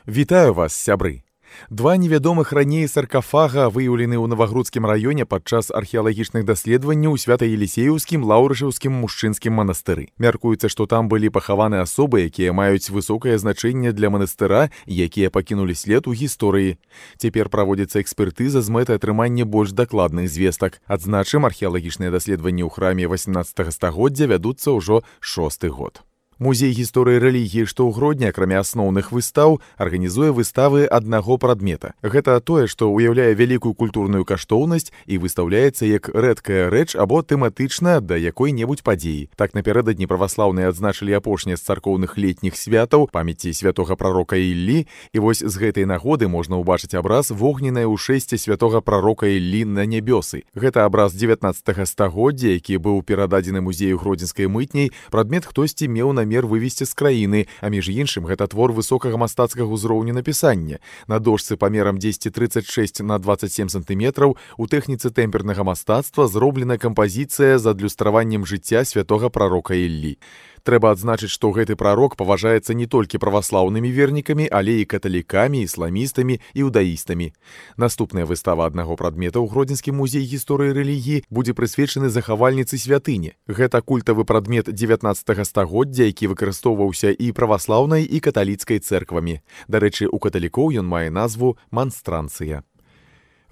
Вітаю вас, сябры! Два невядомых раней саркафага выяўлены ў Навагрудскім раёне падчас археалагічных даследаванняў у Свята-Елісееўскім Лаўрышаўскім мужчынскім манастыры. Мяркуецца, што там былі пахаваны асобы, якія маюць высокае значэнне для манастыра і якія пакінулі след у гісторыі. Цяпер праводзіцца экспертыза з мэтай атрымання больш дакладных звестак. Адзначым, археалагічныя даследаванні ў храме 18 стагоддзя вядуцца ўжо 6-й год. Музей гісторыі рэлігіі, што ў Гродні, акрамя асноўных выстаў, арганізуе выставы аднаго прадмета. Гэта тое, што ўяўляе вялікую культурную каштоўнасць і выстаўляецца як рэдкая рэч або тэматычна да якой-небудзь падзеі. Так напярэдадні праваслаўныя адзначылі апошнія з царкоўных летніх святаў памяці святога прарока Іллі, і вось з гэтай нагоды можна ўбачыць абраз вогненнае ўшэсце святога прарока Іллі на нябёсы. Гэта абраз 19 стагоддзя, які быў перададзены музею гродзенскай мытняй, прадмет хтосьці меў намер вывезці з краіны, а між іншым гэта твор высокага мастацкага ўзроўню напісання. На дошцы памерам 1036 на 27 сантыметраў у тэхніцы тэмпернага мастацтва зроблена кампазіцыя з адлюстраваннем жыцця святога прарока Іллі. Трэба адзначыць, што гэты прарок паважаецца не толькі праваслаўнымі вернікамі, але і каталікамі, ісламістамі і іудаістамі. Наступная выстава аднаго прадмета ў Гродзенскім музеі гісторыі рэлігіі будзе прысвечаны захавальніцы святыні. Гэта культавы прадмет 19 стагоддзя, які выкарыстоўваўся і праваслаўнай, і каталіцкай цэрквамі. Дарэчы, у каталікоў ён мае назву манстранцыя.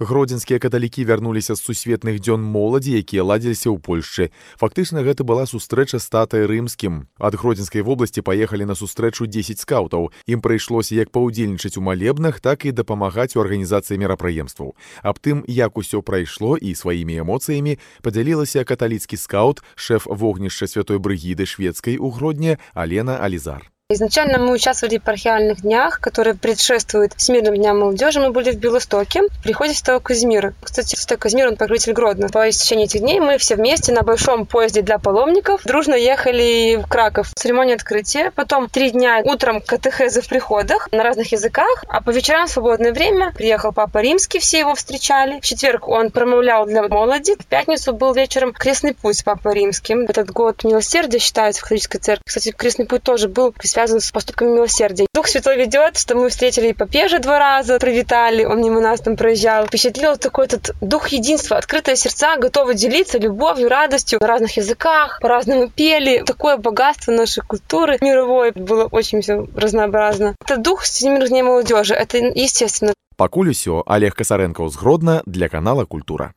Гродзенскія каталікі вярнуліся з сусветных дзён моладзі, якія ладзіліся ў Польшчы. Фактычна, гэта была сустрэча з татай рымскім. Ад Гродзенскай вобласці паехалі на сустрэчу 10 скаўтаў. Ім прыйшлося як паўдзельнічаць у малебнах, так і дапамагаць у арганізацыі мерапрыемстваў. Аб тым, як усё прайшло і сваімі эмоцыямі, падзялілася каталіцкі скаут, шэф вогнішча святой брыгіды шведскай у Гродні Алена Ализар. Изначально мы участвовали в археальных днях, которые предшествуют Всемирным дням молодежи. Мы были в Белостоке, при входе в Святого Казимира. Кстати, Святой Казимир, он покровитель Гродно. По истечении этих дней мы все вместе на большом поезде для паломников дружно ехали в Краков. Церемония открытия. Потом 3 дня утром катехезы в приходах на разных языках, а по вечерам в свободное время приехал Папа Римский, все его встречали. В четверг он промовлял для молоди. В пятницу был вечером крестный путь с Папой Римским. Этот год милосердия считается в католической церкви. Кстати, крестный путь тоже был связан с поступками милосердия. Дух Святой ведет, что мы встретили и Попежа 2 раза, привитали, он мимо нас там проезжал. Впечатлил такой этот дух единства, открытые сердца, готовы делиться любовью, радостью на разных языках, по-разному пели. Такое богатство нашей культуры мировой, было очень все разнообразно. Это дух Всемирных дней молодежи, это естественно. Пакуль усё, Олег Касаренко з Гродна для канала Культура.